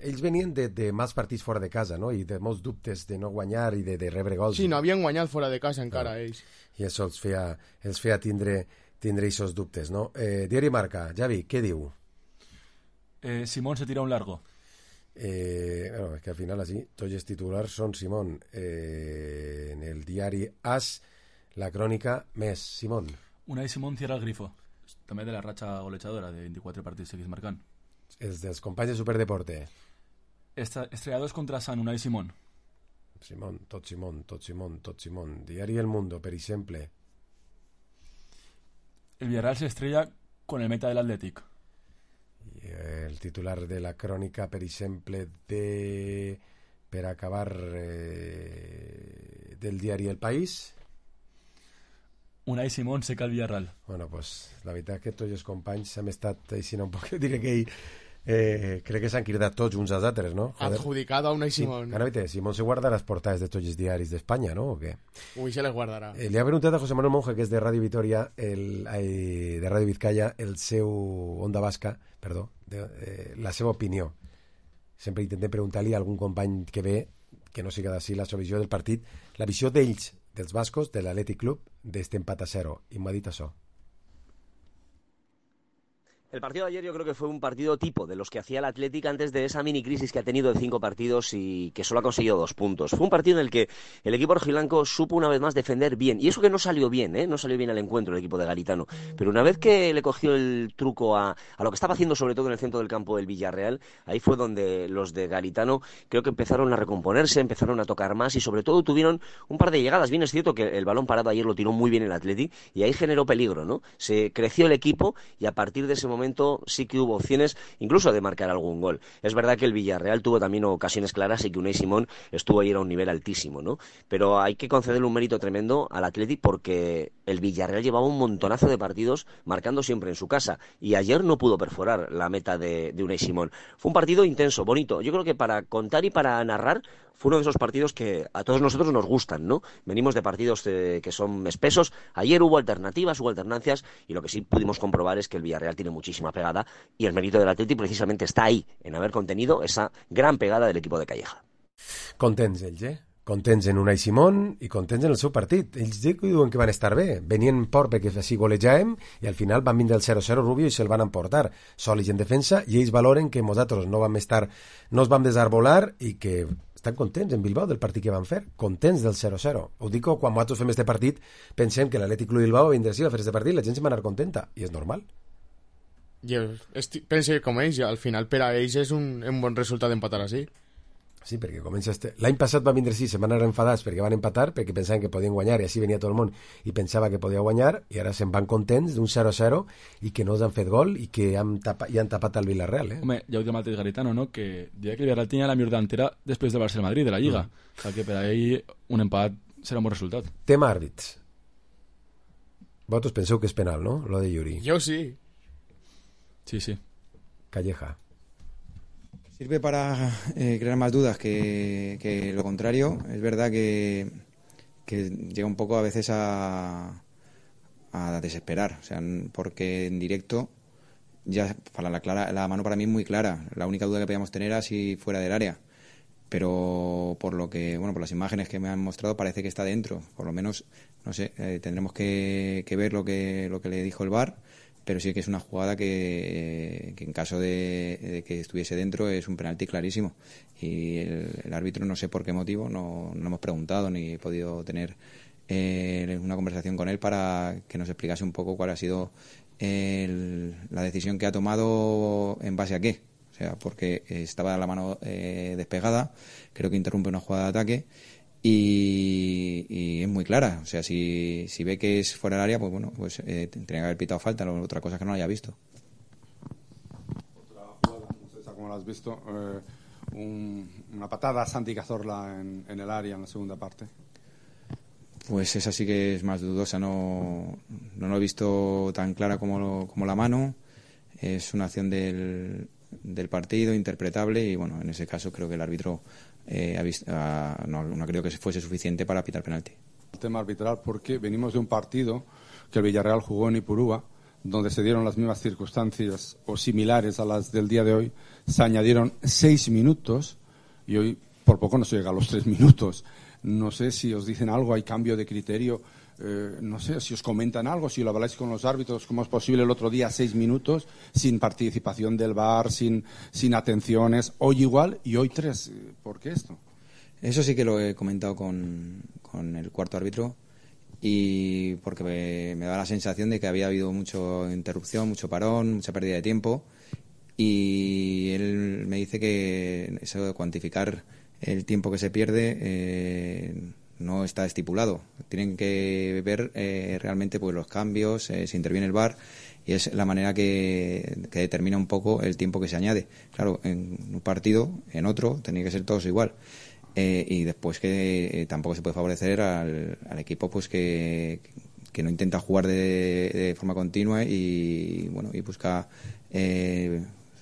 ells venien de mals partits fora de casa, no? I de molts dubtes de no guanyar i de rebre gols. Sí, no havien guanyat fora de casa encara, ells. I això els feia tindre aquests dubtes, no? Diari Marca, Javi, què diu? Simón se tira un largo. Bueno, és que al final així tots els titulars són Simón. En el diari AS, la crònica més Simón. Unai Simón cierra el grifo. També de la ratxa golejadora de 24 partits seguits marcant. Els dels companys de Superdeporte. Estrellados contra San Unai Simón. Tot Simón. Diari El Mundo, per exemple. El Villarreal se estrella con el meta del Athletic. I el titular de la crònica, per exemple, per acabar del diari El País. Unai Simón seca el Villarreal. Bueno, pues la veritat que tots els companys hem estat així un poc, diré que crec que s'han cridat tots uns als altres, no? Adjudicado a Unai Simón. Sí. Ara, Simón se guarda les portades de tots els diaris d'Espanya, ¿no? ¿O qué? Uy, se les guardarà. Le ha preguntat a José Manuel Monge, que és de Ràdio Vitoria, de Ràdio Vizcaya, el seu Onda Basca, perdó, la seva opinió. Sempre intentem preguntar-li a algun company que ve, que no siga d'ací, la seva visió del partit, la visió d'ells, dels bascos, de l'Athletic Club, d'este empat a 0. I m'ha dit això. El partido de ayer yo creo que fue un partido tipo de los que hacía el Athletic antes de esa mini crisis que ha tenido de 5 partidos y que solo ha conseguido 2 puntos. Fue un partido en el que el equipo rojiblanco supo una vez más defender bien. Y eso que no salió bien, no salió bien al encuentro el equipo de Garitano. Pero una vez que le cogió el truco a lo que estaba haciendo sobre todo en el centro del campo del Villarreal, ahí fue donde los de Garitano creo que empezaron a recomponerse, empezaron a tocar más y sobre todo tuvieron un par de llegadas. Bien es cierto que el balón parado ayer lo tiró muy bien el Athletic y ahí generó peligro, ¿no? Se creció el equipo y a partir de ese momento sí que hubo opciones incluso de marcar algún gol. Es verdad que el Villarreal tuvo también ocasiones claras y que Unai Simón estuvo ayer a un nivel altísimo, ¿no? Pero hay que concederle un mérito tremendo al Athletic porque el Villarreal llevaba un montonazo de partidos marcando siempre en su casa y ayer no pudo perforar la meta de Unai Simón. Fue un partido intenso, bonito. Yo creo que para contar y para narrar fue uno de esos partidos que a todos nosotros nos gustan, ¿no? Venimos de partidos que son espesos. Ayer hubo alternativas, hubo alternancias y lo que sí pudimos comprobar es que el Villarreal tiene muchísima pegada y el mérito del Athletic precisamente está ahí, en haber contenido esa gran pegada del equipo de Calleja. Contents ells, contents en Unai Simón i contents en el seu partit. Ells diuen que van estar bé, venien por perquè així golejàvem i al final van vindre el 0-0 Rubio i se'l van emportar sòlids en defensa, i ells valoren que nosaltres no ens vam desarbolar i que estan contents en Bilbao del partit que van fer, contents del 0-0. Ho dic, quan nosaltres fem este partit pensem que l'Atlètic Club Bilbao vindrà així a fer este partit, la gent se va anar contenta, i és normal. Jo penso que com ells, al final per a ells és un bon resultat empatar així. Sí, perquè comença l'any passat va vindre així, se van anar enfadats perquè van empatar, perquè pensaven que podien guanyar i així venia tot el món i pensava que podia guanyar, i ara se'n van contents d'un 0-0 i que no els han fet gol i que han tapat el Villarreal. Home, ja ho diu el mateix Garitano, no? Que diria que el Villarreal tenia la millor delantera després del Barça-Madrid, de la Lliga. O sigui que per a ell un empat serà un bon resultat. Tema àrbits. Vosaltres penseu que és penal, no? Lo de Yuri. Jo sí. Sí. Calleja. Sirve para crear más dudas que lo contrario. Es verdad que llega un poco a veces a desesperar, o sea, porque en directo ya la mano para mí es muy clara. La única duda que podíamos tener era si fuera del área, pero por las imágenes que me han mostrado parece que está dentro. Por lo menos, no sé, tendremos que ver lo que le dijo el VAR. Pero sí que es una jugada que en caso de que estuviese dentro es un penalti clarísimo. Y el árbitro, no sé por qué motivo, no hemos preguntado ni he podido tener una conversación con él para que nos explicase un poco cuál ha sido la decisión que ha tomado en base a qué. O sea, porque estaba la mano despegada, creo que interrumpe una jugada de ataque. Y es muy clara, o sea, si ve que es fuera del área, pues bueno, tendría que haber pitado falta, otra cosa que no lo haya visto. Otra jugada, no sé cómo lo has visto, una patada a Santi Cazorla en el área en la segunda parte. Pues esa sí que es más dudosa, no lo he visto tan clara como la mano, es una acción del partido, interpretable, y bueno, en ese caso creo que el árbitro no creo que fuese suficiente para pitar penalti. El tema arbitral, porque venimos de un partido que el Villarreal jugó en Ipurúa, donde se dieron las mismas circunstancias o similares a las del día de hoy, se añadieron 6 minutos y hoy por poco no se llega a los 3 minutos. No sé si os dicen algo, hay cambio de criterio, no sé si os comentan algo, si lo habláis con los árbitros, cómo es posible el otro día 6 minutos sin participación del VAR, sin atenciones, hoy igual y hoy 3. ¿Por qué esto? Eso sí que lo he comentado con el cuarto árbitro, y porque me da la sensación de que había habido mucha interrupción, mucho parón, mucha pérdida de tiempo, y él me dice que eso de cuantificar el tiempo que se pierde no está estipulado. Tienen que ver realmente pues los cambios, si interviene el VAR, y es la manera que determina un poco el tiempo que se añade. Claro, en un partido, en otro, tenía que ser todos igual. Y después que tampoco se puede favorecer al equipo pues que no intenta jugar de forma continua y bueno, y busca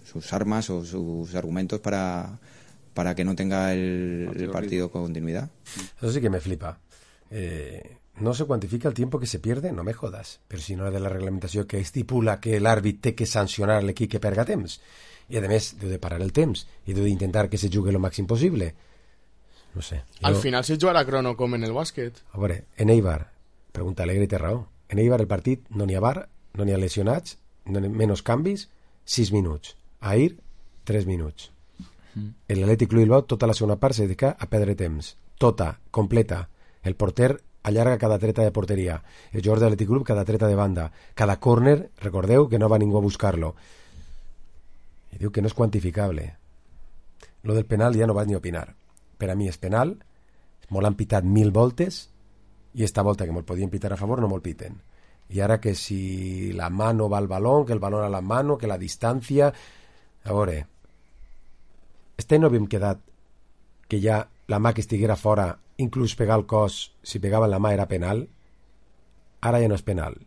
sus armas o sus argumentos para que no tenga el partido con continuidad. Eso sí que me flipa. No se cuantifica el tiempo que se pierde, no me jodas. Però si no era de la reglamentació que estipula que l'àrbit té que sancionar l'equip que perga temps. I a més, deu de parar el temps i deu d'intentar que se jugui el màxim possible. No sé. Al final se jugarà crono com en el bàsquet. A veure, en Eibar, pregunta Alegre té raó. En Eibar el partit no n'hi ha VAR, no n'hi ha lesionats, menys canvis, 6 minuts. A Ahir, 3 minuts. L'Atlètic Club Bilbao tota la segona part se dedica a perdre temps. Tota, completa. El porter allarga cada treta de porteria. El jugador de l'Atlètic Club cada treta de banda. Cada córner, recordeu que no va ningú a buscar-lo. I diu que no és quantificable. Lo del penal ja no vaig ni opinar. Per a mi és penal, molt han pitat 1000 voltes i esta volta que me'l podien pitar a favor no me'l piten. I ara que si la mano va al balón, que el balón a la mano, que la distància... A veure, no havíem quedat que ja la mà que estiguera fora, inclús pegar el cos, si pegava en la mà era penal. Ara ja no és penal.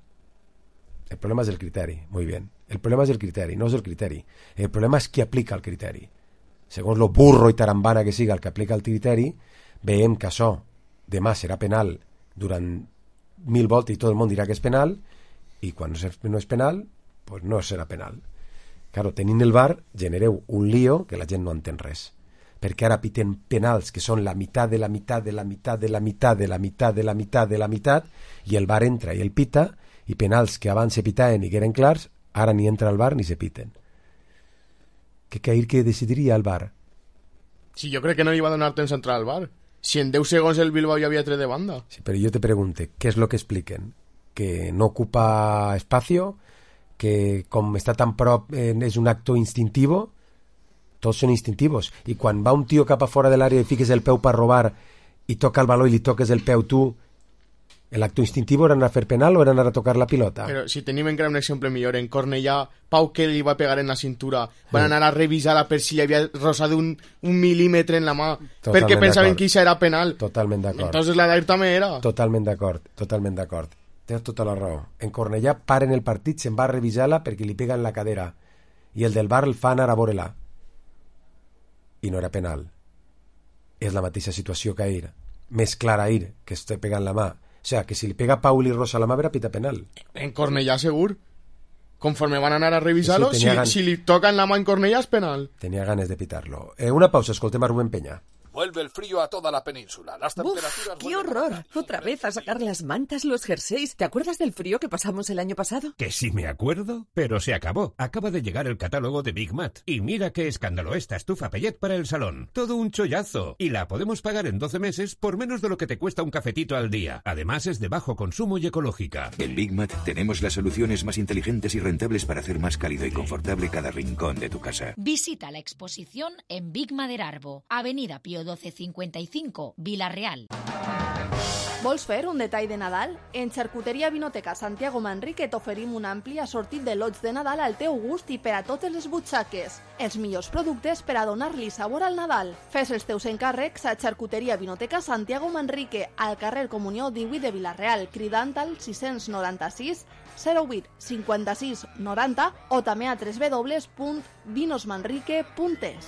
El problema és el criteri, muy bien. El problema és el criteri, no és el criteri. El problema és qui aplica el criteri. Segons lo burro i tarambana que siga el que aplica el criteri, veiem que això demà serà penal durant 1000 voltes i tot el món dirà que és penal, i quan no és penal, pues no serà penal. Claro, tenint el VAR genereu un lío que la gent no entén res. perquè ara piten penals que són la meitat de la meitat de la meitat de la meitat de la meitat de la meitat de la meitat, i el VAR entra i el pita, i penals que abans se pitaven i que eren clars, ara ni entra el VAR ni se piten. Que decidiria el VAR? Si jo crec que no li va donar temps a entrar al VAR. Si en 10 segons el Bilbao ja havia tret de banda. Sí, pero yo te pregunte, ¿qué es lo que expliquen? ¿Que no ocupa espacio? ¿Que com està tan prop és un acto instintivo? Tots són instintivos. I quan va un tio cap a fora de l'àrea i fiques el peu per robar i toca el baló i li toques el peu tu, el acto instintivo era anar a fer penal o era anar a tocar la pilota? Però si tenim encara un exemple millor, en Cornellà, Pau que li va pegar en la cintura, van anar a revisar-la per si li havia rosat un mil·límetre en la mà, perquè pensaven que això era penal. Totalment d'acord. Entonces la d'ahir també era. Totalment d'acord. Tens tota la raó. En Cornellà paren el partit, se'n va a revisar-la perquè li pega en la cadera, i el del VAR el fa anar a veure-la. I no era penal. És la mateixa situació que ahir. Més clara ahir, que està pegant la mà. O sea, que si li pega a Pau i li rosa la mà, era pita penal. En Cornellà, segur. Conforme van anar a revisar-lo, sí, si li toca en la mà en Cornellà és penal. Tenia ganes de pitar-lo. Una pausa, escoltem a Rubén Peña. Vuelve el frío a toda la península. Las temperaturas... ¡Qué horror! Otra vez a sacar las mantas, los jerseys. ¿Te acuerdas del frío que pasamos el año pasado? Que sí me acuerdo, pero se acabó. Acaba de llegar el catálogo de Big Mat. Y mira qué escándalo esta estufa Pellet para el salón. Todo un chollazo. Y la podemos pagar en 12 meses por menos de lo que te cuesta un cafetito al día. Además es de bajo consumo y ecológica. En Big Mat tenemos las soluciones más inteligentes y rentables para hacer más cálido y confortable cada rincón de tu casa. Visita la exposición en Big Maderarbo, Avenida Pío XII 55, Vila-real. Vols fer un detall de Nadal? En Xarcuteria Vinoteca Santiago Manrique t'oferim un ampli assortit de lots de Nadal al teu gust i per a totes les butxaques. Els millors productes per a donar-li sabor al Nadal. Fes els teus encàrrecs a Xarcuteria Vinoteca Santiago Manrique, al carrer Comunió 18 de Vila-real, cridant al 696 08 56 90 o també a www.vinosmanrique.es.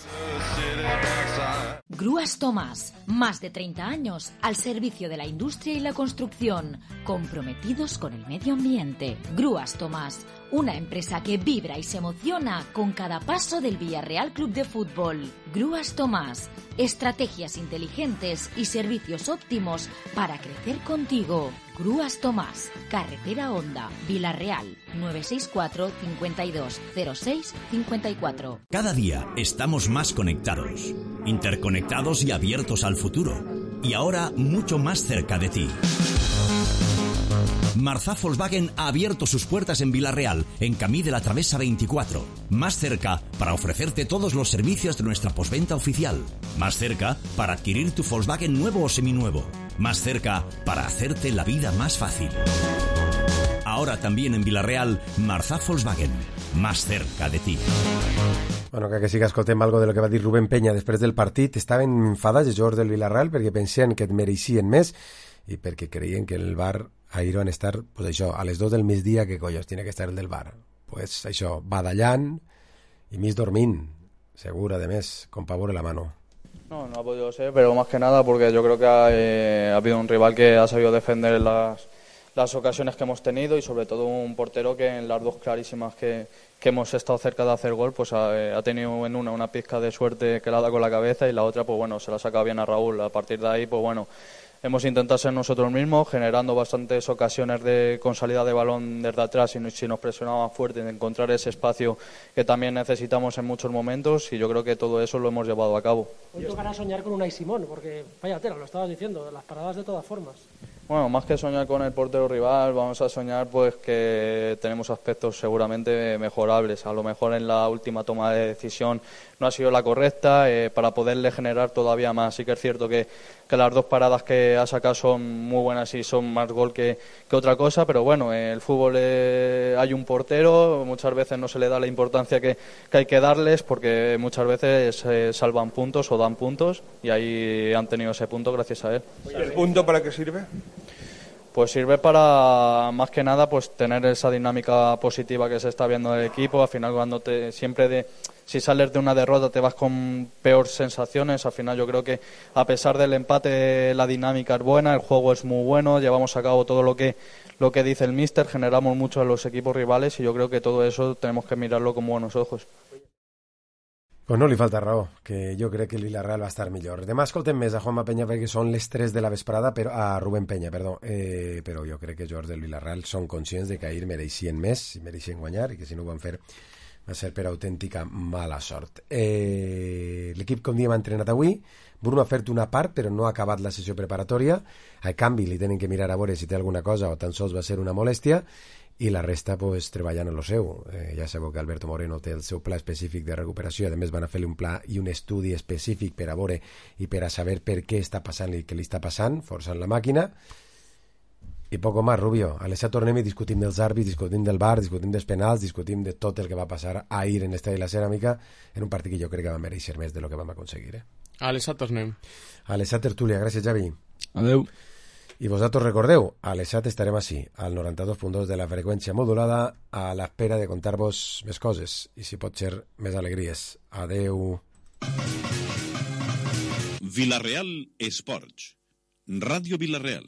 Grúas Tomás, más de 30 años al servicio de la industria y la construcción, comprometidos con el medio ambiente. Grúas Tomás, una empresa que vibra y se emociona con cada paso del Villarreal Club de Fútbol. Grúas Tomás, estrategias inteligentes y servicios óptimos para crecer contigo. Grúas Tomás, Carretera Honda, Vila-real, 964 52 06 54. Cada día estamos más conectados, interconectados y abiertos al futuro. Y ahora mucho más cerca de ti. Marzá Volkswagen ha abierto sus puertas en Vila-real, en Camí de la Travesa 24. Más cerca para ofrecerte todos los servicios de nuestra postventa oficial. Más cerca para adquirir tu Volkswagen nuevo o seminuevo. Más cerca para hacerte la vida más fácil. Ahora también en Vila-real, Marzá Volkswagen. Más cerca de ti. Bueno, que sí que escoltem algo de lo que va dir Rubén Peña després del partit. Estaven enfadats els jugadors del Vila-real perquè pensien que et mereixien més i perquè creien que el VAR ahir van estar, pues això, a les 2 del migdia, que collons tiene que estar el del VAR? Pues això, badallant i mig dormint, segur, además, con pavor en la mano. No ha podido ser, pero más que nada porque yo creo que ha habido un rival que ha sabido defender las ocasiones que hemos tenido y sobre todo un portero que en las dos clarísimas que hemos estado cerca de hacer gol, pues ha tenido en una pizca de suerte que la da con la cabeza y la otra, pues bueno, se la saca bien a Raúl. A partir de ahí, pues bueno, hemos intentado ser nosotros mismos, generando bastantes ocasiones con salida de balón desde atrás y si nos presionaban fuerte, de encontrar ese espacio que también necesitamos en muchos momentos y yo creo que todo eso lo hemos llevado a cabo. Hoy tocará soñar con Unai Simón, porque vaya tela, lo estabas diciendo, las paradas de todas formas. Bueno, más que soñar con el portero rival, vamos a soñar pues que tenemos aspectos seguramente mejorables. A lo mejor en la última toma de decisión no ha sido la correcta para poderle generar todavía más. Sí que es cierto que las dos paradas que ha sacado son muy buenas y son más gol que otra cosa, pero bueno, en el fútbol hay un portero, muchas veces no se le da la importancia que hay que darles porque muchas veces salvan puntos o dan puntos y ahí han tenido ese punto gracias a él. ¿Y el punto para qué sirve? Pues sirve para, más que nada, pues tener esa dinámica positiva que se está viendo del equipo. Al final, cuando si sales de una derrota te vas con peores sensaciones. Al final yo creo que a pesar del empate la dinámica es buena, el juego es muy bueno, llevamos a cabo todo lo que dice el míster, generamos mucho a los equipos rivales y yo creo que todo eso tenemos que mirarlo con buenos ojos. Pues no li falta raó, que jo crec que el Villarreal va estar millor. Demà escoltem més a Juanma Peña perquè són les 3 de la vesprada, però a Rubén Peña, perdó. Però jo crec que els jugadors del Villarreal són conscients de que ahir mereixien més, i mereixien guanyar, i que si no ho van fer va ser per autèntica mala sort. L'equip, com diem, ha entrenat avui. Bruno ha fet una part, però no ha acabat la sessió preparatòria. A canvi, li tenen que mirar a veure si té alguna cosa o tan sols va ser una molèstia, i la resta pues, treballant en lo seu. Ja sabeu que Alberto Moreno té el seu pla específic de recuperació, a més van a fer-li un pla i un estudi específic per a veure i per a saber per què està passant i què li està passant, forçant la màquina. I poco más, Rubio. A l'Esat tornem i discutim dels àrbits, discutim del VAR, discutim dels penals, discutim de tot el que va passar ahir en l'Estadi de la Ceràmica, en un partit que jo crec que va mereixer més de lo que vam aconseguir. A l'Esat tornem. A l'Esat tertúlia. Gràcies, Javi. Adeu. I vosaltres recordeu, a l'ESAT estarem així, al 92.2 de la freqüència modulada, a l'espera de contar-vos més coses i, si pot ser, més alegries. Adeu. Villarreal Esports. Ràdio Villarreal.